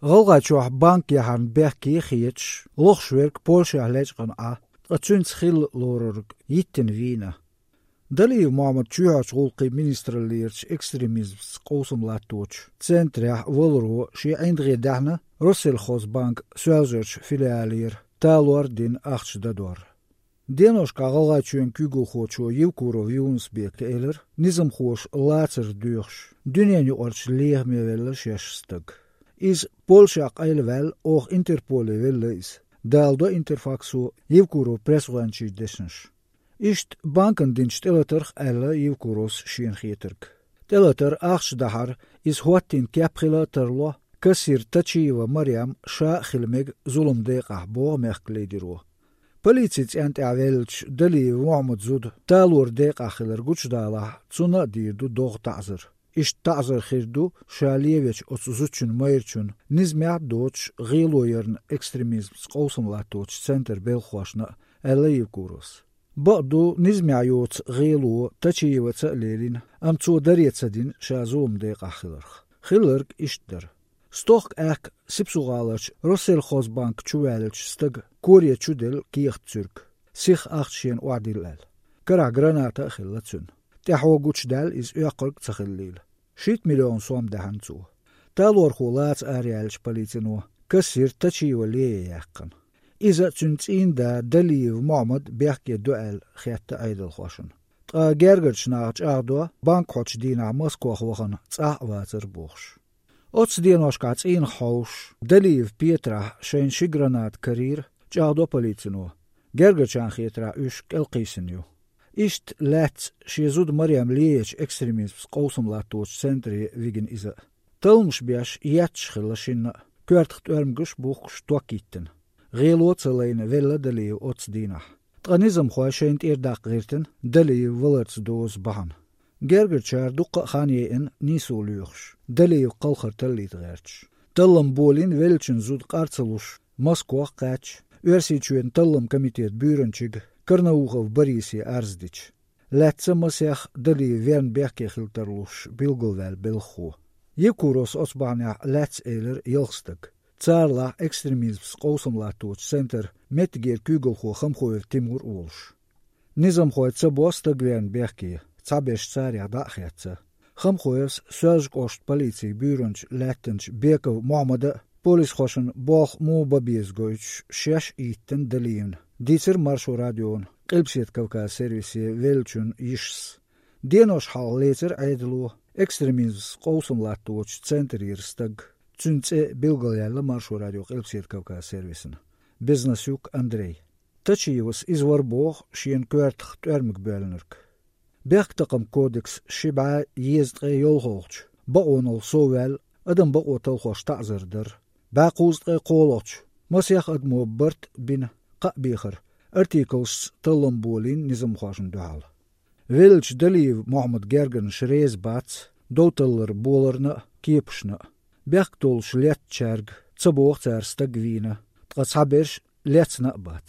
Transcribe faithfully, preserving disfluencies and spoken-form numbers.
ГӀалгӀайчохь банк яхьарна бехке хеташ, лохуш верг Польшехь лечкъина Ӏа, ткъа цуьнца хилла лорура йиттина вийна. Далиев Мохьмад чоьхьарчу гӀуллакхийн министраллерачу экстремизмца къовсам латточу центрехь валаро шен ӀиндагӀе даьхьна Россельхозбанк Соьлжарчу филиалера талор дина ахча дадор. Деношкахь ГӀалгӀайчоьнан куьйгалхочо Евкуров Юнус-Бека элира, низамхоша лацар доьхуш, дуьненан юкъарчу лехаме велла шаьш стаг. Иза Польшехь къайлаваьлла, оха Интерполе велла иза, даладо Интерфаксо Евкуров пресс-гӀоьнчийн дешнаш. Иштта банкана динчу тӀелатарх аьлла Евкуровс шена хетарг. ТӀелатар, ахча дахьар, иза хӀоттийна кеп хила а тарло, кассир Тачиева Марем ша а хила мега зулам декъахь, боху мехкан лидеро. Полицин цӀенна тӀехь веллачу Далиев Мохьмадан зуда талор декъахь хилар гучудалахь, цунна а дийр ду догӀа таӀзар. Иштта таӀзар хир ду ша левечу оцу зудчун майрачунна, низамехь а доцуш гӀело ярна экстремизмца къовсам латточу центран белхахошна а, аьлла Евкуровс. Бакъду, низамехь йоцу гӀело Тачиеваца а лелийна, амма цо даре ца дина ша зулам декъахь хиларх. Хилларг иштта дара. Стохка аьхка Сипсу-ГӀаларчу Россельхозбанк чу ваьллачу стага коре чу делла кехат цуьрг, сиха ахча шена охьадилла аьлла. Карахь граната а хилла цуьнан. ТӀаьхьо гучудаьлла иза, оьккхург а ца хиллийла. Шийтта миллион сом даьхьна цо. Талорхо лаца араяьллачу полицино кассир Тачиева лея яьккхина. Иза а, цуьнан цӀийнда Далиев Мохьмад бехке ду аьлла хетта Ӏедалхошна. Ткъа гергарчу наха чӀагӀдо, банк хьочу дийнахь Москох вахана цӀахь а вацара бохуш. Оццу деношкахь цӀийнах хьовсуш, Далиев Петрахь шайна ши граната карийра, чӀагӀдо полицино, гергарчарна хетарехь уьш кӀелкхийсина ю. Иштта лаьцна шен зуда Марем леечу экстремизмца къовсам латточу центре вигина иза а. Талламаш беш етташ хилла шинна а, коьртах тӀоьрмигаш а бухкуш ток йиттина. ГӀело а ца лайна велла Далиев оццу дийнахь. Ткъа низамхой шайна тӀера даккха гӀиртина Далиев валарца доза бахьана. Гергарчара дуккха а хан яйина нийсо лоьхуш, Далиев кхалхар таллийта гӀерташ. Таллам болийна веллачун зуда къар ца луш, Москох а кхаьчча, Оьрсийчоьнан таллам комитетан буьйранчига Карнаухов Борисе арз дича. Лаьцна масех Далиев верна бехке хила тарлуш билгалваьлла белхахо. Евкуровс оцу бахьанехь лаьцна элира ялх стаг. Царалахь экстремизмца къовсам латточу центран меттигера куьйгалхо Хамхоев Тимур а волуш. Низамхой ца бо стаг верна бехке, цхьаберш царех дӀа а хецна. Хамхоевс Соьлж-кӀоштан полицин буьйранча лаьттанчу Беков Мохьмада а, полисхошна болх муха бан беза гойтуш, шаьш а йиттина Далиевна, дийцира Маршо радиона Къилбаседа Кавказан сервисе веллачун йишас. Денош хьалха лецира Ӏедало экстремизмца къовсам латточу центрера стаг, цуьнан цӀе билгалъяьлла Маршо радион Къилбаседа Кавказан сервисна, Безнасюк Андрей. Тачиевас иза вара боху шена коьртах тӀоьрмиг боьллинарг. Бехктакхаман кодексан ши бӀе езткъе йолхалгӀачу бакъонал совваьлла адам бакъо талхош таӀзар дар, бӀе кхузткъе кхоалгӀачу масех адамо барт а бина кхаъ бехар артиклашца таллам болийна низамхошна дуьхьал. Веллачу Далиев Мохьмадан гергарнаш реза бац дов таллар боларна а, кепашна а. Бехк толлуш леттачаьрга ца боху цара стаг вийна, ткъа цхьаберш лецна а бац.